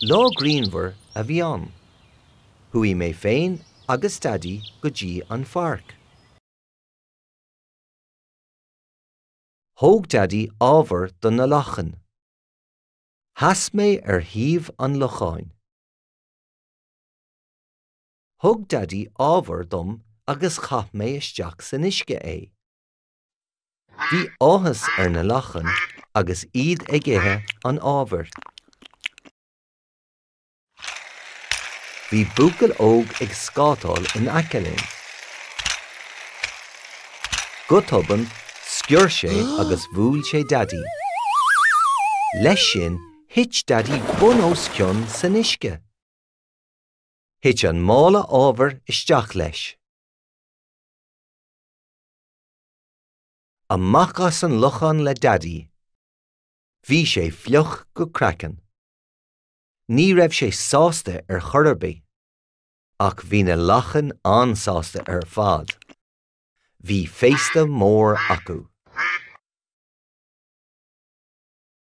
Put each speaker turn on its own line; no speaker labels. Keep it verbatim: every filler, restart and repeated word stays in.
Lá grianmhar a bhí ann. Chuaigh mé féin agus Daidí go dtí an pháirc. Thóg Daidí ábhar do na lachain. Sheas mé ar thaobh an locháin. Thug Daidí ábhar dom agus chaith mé isteach san uisce é. Bhí áthas ar na lachain agus iad ag ithe an ábhair. Bhí buachaill óg ag scátáil in aice linn. Go tobann, sciorr sé agus bhuail sé Daidí. Leis sin, thit Daidí bun os cionn san uisce. Thit an mála ábhair isteach leis. Amach as an lochán le Daidí. Bhí sé fliuch go craiceann. Ní raibh sé sásta ar chor ar bith, ach bhí na lachain an-sásta ar fad. Bhí féasta mór acu.